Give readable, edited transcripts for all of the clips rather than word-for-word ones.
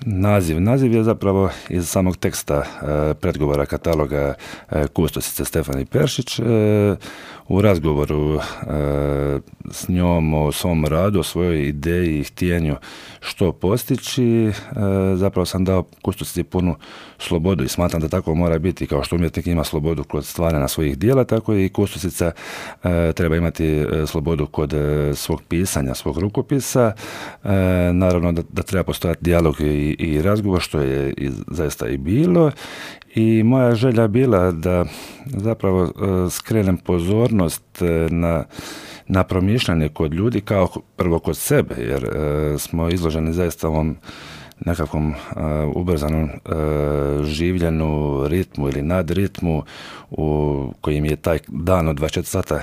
Naziv je zapravo iz samog teksta predgovora kataloga kustosice Stefani Peršić. U razgovoru s njom o svom radu, o svojoj ideji i htjenju što postići, zapravo sam dao kustosici punu slobodu i smatram da tako mora biti. Kao što umjetnik ima slobodu kod stvaranja svojih dijela, tako i kustosica treba imati slobodu kod svog pisanja, svog rukopisa. Naravno da treba postojati dijalog i razgovor, što je zaista i bilo. I moja želja bila da zapravo skrenem pozornost na promišljanje kod ljudi, kao prvo kod sebe, jer smo izloženi zaista ovom nekakvom ubrzanom življenu, ritmu ili nadritmu u kojim je taj dan od 24 sata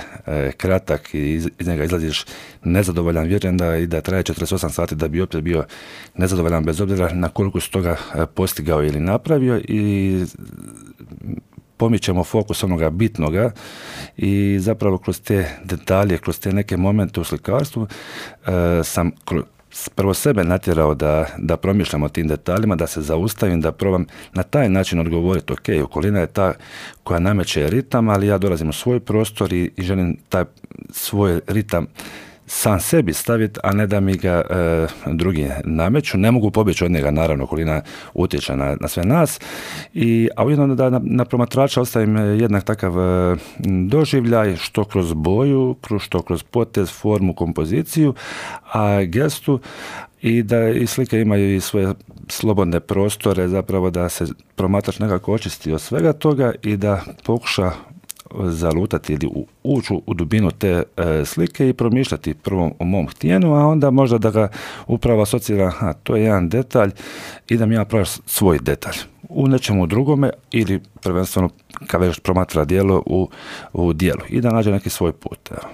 kratak i iz njega izlaziš nezadovoljan, vjerujem da traje 48 sati da bi opet bio nezadovoljan bez obzira na koliko si toga postigao ili napravio, i pomičemo fokus onoga bitnoga i zapravo kroz te detalje, kroz te neke momente u slikarstvu sam prvo sebe natjerao da promišljam o tim detaljima, da se zaustavim, da probam na taj način odgovoriti. Ok, okolina je ta koja nameće ritam, ali ja dolazim u svoj prostor i želim taj svoj ritam sam sebi staviti, a ne da mi ga drugi nameću. Ne mogu pobjeći od njega, naravno, okolina utječe na sve nas. A ujedno da na promatrača ostavim jednak takav doživljaj, što kroz boju, što kroz potez, formu, kompoziciju, a gestu, i da i slike imaju i svoje slobodne prostore, zapravo da se promatrač nekako očisti od svega toga i da pokuša zalutati ili ući u dubinu te slike i promišljati prvo o mom htjenju, a onda možda da ga upravo asocira, to je jedan detalj, idem ja praviti svoj detalj u nečemu drugome, ili prvenstveno kad već promatra djelo u djelu i da nađe neki svoj put. Evo.